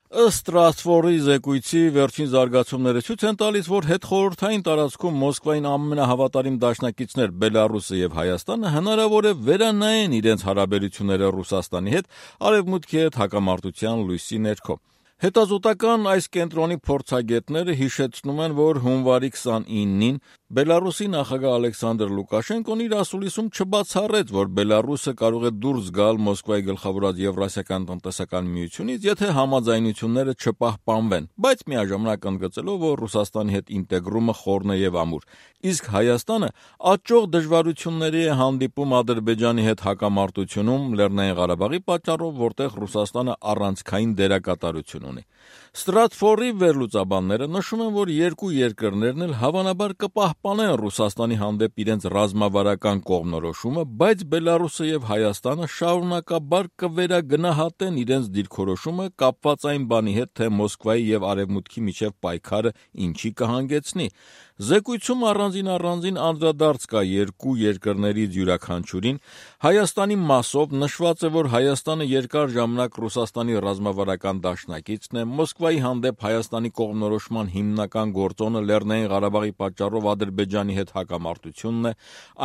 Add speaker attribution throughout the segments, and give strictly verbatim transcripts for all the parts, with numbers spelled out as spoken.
Speaker 1: Ըստ Ստրասբուրգի զեկույցի վերջին զարգացումները ցույց են տալիս, որ հետխորհրդային տարածքում Մոսկվային ամենահավատարիմ դաշնակիցներ Բելարուսը եւ Հայաստանը հնարավոր է վերանայեն իրենց հարաբերությունները Ռուսաստանի հետ արևմուտքի հետ հակամարտության լույսի ներքո։ Հետազոտական այս կենտրոնի փորձագետները հիշեցնում են, որ հունվարի քսանինին Բելարուսի նախագահ Ալեքսանդր Լուկաշենկոն իր ասուլիսում չբացառեց, որ Բելարուսը կարող է դուրս գալ Մոսկվայի գլխավորած Եվրասիական տնտեսական միությունից, եթե համաձայնությունները չպահպանվեն, բայց միաժամանակ ընդգծելով, որ Ռուսաստանի հետ ինտեգրումը խորն է եւ ամուր։ Իսկ Հայաստանը աճող դժվարությունների է հանդիպում Ադրբեջանի հետ հակամարտությունում Լեռնային Ղարաբաղի պատճառով, որտեղ Ռուսաստանը առանցքային դերակատարություն ունի։ Ստրասբուրգի վերլուծաբանները նշում են, որ երկու երկրներն էլ հավանաբար կպահպանեն Ռուսաստանի հանդեպ իրենց ռազմավարական կողմնորոշումը, բայց Բելարուսը եւ Հայաստանը շարունակաբար կվերագնահատեն իրենց դիրքորոշումը կապված այն բանի հետ, թե Մոսկվայի եւ Արևմուտքի միջև պայքարը ինչի կհանգեցնի։ Զեկույցում առանձին առանձին անդրադարձ կա երկու երկրներից յուրաքանչյուրին։ Հայաստանի մասով նշված է, որ Հայաստանը երկար ժամանակ Ռուսաստանի ռազմավարական դաշնակիցն է, Մոսկվայի հանդեպ Հայաստանի կողմնորոշման հիմնական գործոնը Լեռնային Ղարաբաղի պատճառով Ադրբեջանի հետ հակամարտությունն է։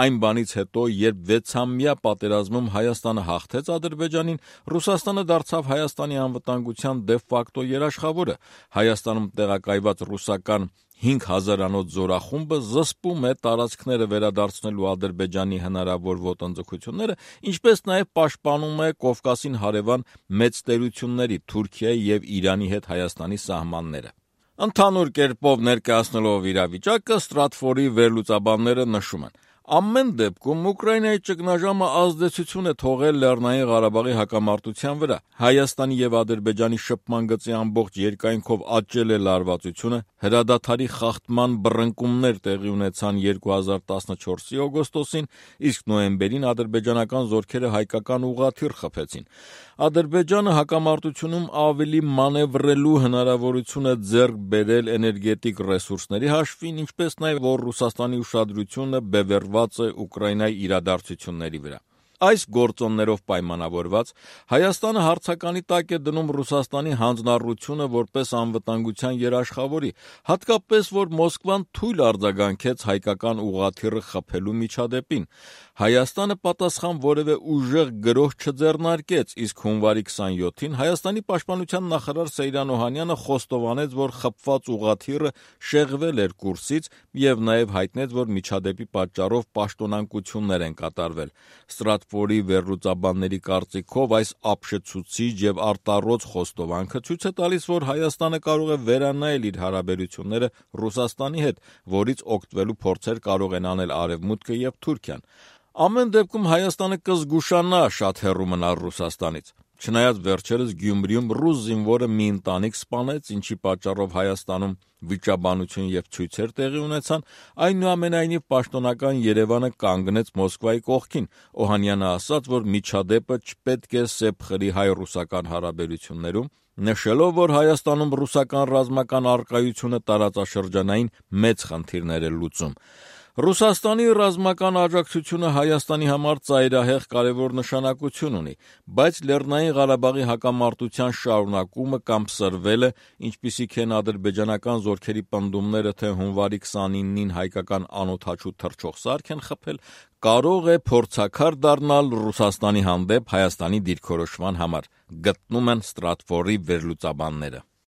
Speaker 1: Այն բանից հետո, երբ վեցամյա պատերազմում Հայաստանը հաղթեց Ադրբեջանին, Ռուսաստանը դարձավ Հայաստանի անվտանգության դե ֆակտո երաշխավորը։ Հայաստանում տեղակայված ռուսական հինգ հազարանոց զորախումբը զսպում է տարածքները վերադարձնելու Ադրբեջանի հնարավոր ոտնձգությունները, ինչպես նաև պաշտպանում է Կովկասին հարևան մեծ տերությունների Թուրքիայի եւ Իրանի հետ Հայաստանի սահմանները։ Ընդհանուր կերպով ներկայացնելով իրավիճակը, Ստրասբուրգի վերլուծաբանները նշում են. Ամեն դեպքում Ուկրաինայի ճգնաժամը ազդեցություն է թողել Լեռնային Ղարաբաղի հակամարտության վրա։ Հայաստանի եւ Ադրբեջանի շփման գծի ամբողջ երկայնքով աճել է լարվածությունը, հրադադարի խախտման բռնկումներ տեղի ունեցան երկու հազար տասնչորսի օգոստոսին, իսկ նոյեմբերին ադրբեջանական զորքերը հայկական ուղղաթիռ խփեցին։ Ադրբեջանը հակամարտությունում ավելի մանևրելու հնարավորություն է ձեռք բերել էներգետիկ ռեսուրսների հաշվին, ինչպես նաև որ Ռուսաստանի ուշադրությունը բևեռված է Ուկրաինայի իրադարձությունների վրա։ Այս գործոններով պայմանավորված Հայաստանը հարցականի տակ է դնում Ռուսաստանի հանձնառությունը որպես անվտանգության երաշխավորի, հատկապես որ Մոսկվան թույլ արձագանքեց հայկական ուղղաթիռը խփելու միջադեպին։ Հայաստանը պատասխան որևէ ուժեղ գրոհ չձեռնարկեց, իսկ հունվարի քսանյոթին Հայաստանի պաշտպանության նախարար Սեյրան Օհանյանը խոստովանեց, որ խփված ուղղաթիռը շեղվել էր կուրսից եւ նաեւ հայտնեց, որ միջադեպի պատճառով պաշտոնանկություններ են կատարվել։ Ստրասբուրգի վերլուծաբանների կարծիքով այս ապշեցուցիչ եւ արտառոց խոստովանքը ցույց է տալիս, որ Հայաստանը կարող է վերանայել իր հարաբերությունները Ռուսաստանի հետ, որից օգտվելու փորձեր կարող են անել Արևմուտքը եւ Թուրքիան։ Ամեն դեպքում Հայաստանը կզգուշանա շատ հեռու մնալ Ռուսաստանից։ Չնայած վերջերս Գյումրիում ռուս զինվորը մի ընտանիք սպանեց, ինչի պատճառով Հայաստանում վիճաբանություն եւ ցույցեր տեղի ունեցան, այնուամենայնիվ պաշտոնական Երևանը կանգնեց Մոսկվայի կողքին։ Օհանյանը ասաց, որ միջադեպը չպետք է սեպխրի հայ-ռուսական հարաբերություններում, նշելով, որ Հայաստանում ռուսական ռազմական առկայությունը տարածաշրջանային մեծ խնդիրներ է լուծում։ Ռուսաստանի ռազմական աջակցությունը Հայաստանի համար ծայրահեղ կարևոր նշանակություն ունի, բայց Լեռնային Ղարաբաղի հակամարտության շարունակումը կամ սրվելը, ինչպիսիք են ադրբեջանական զորքերի պնդումները, թե հունվարի քսանինին հայկական անօդաչու թռչող սարք են խփել, կարող է փորձաքար դառնալ Ռուսաստանի հանդեպ Հայաստանի դիրքորոշման համար, գտնում են Ստրասբուրգի վերլուծաբանները։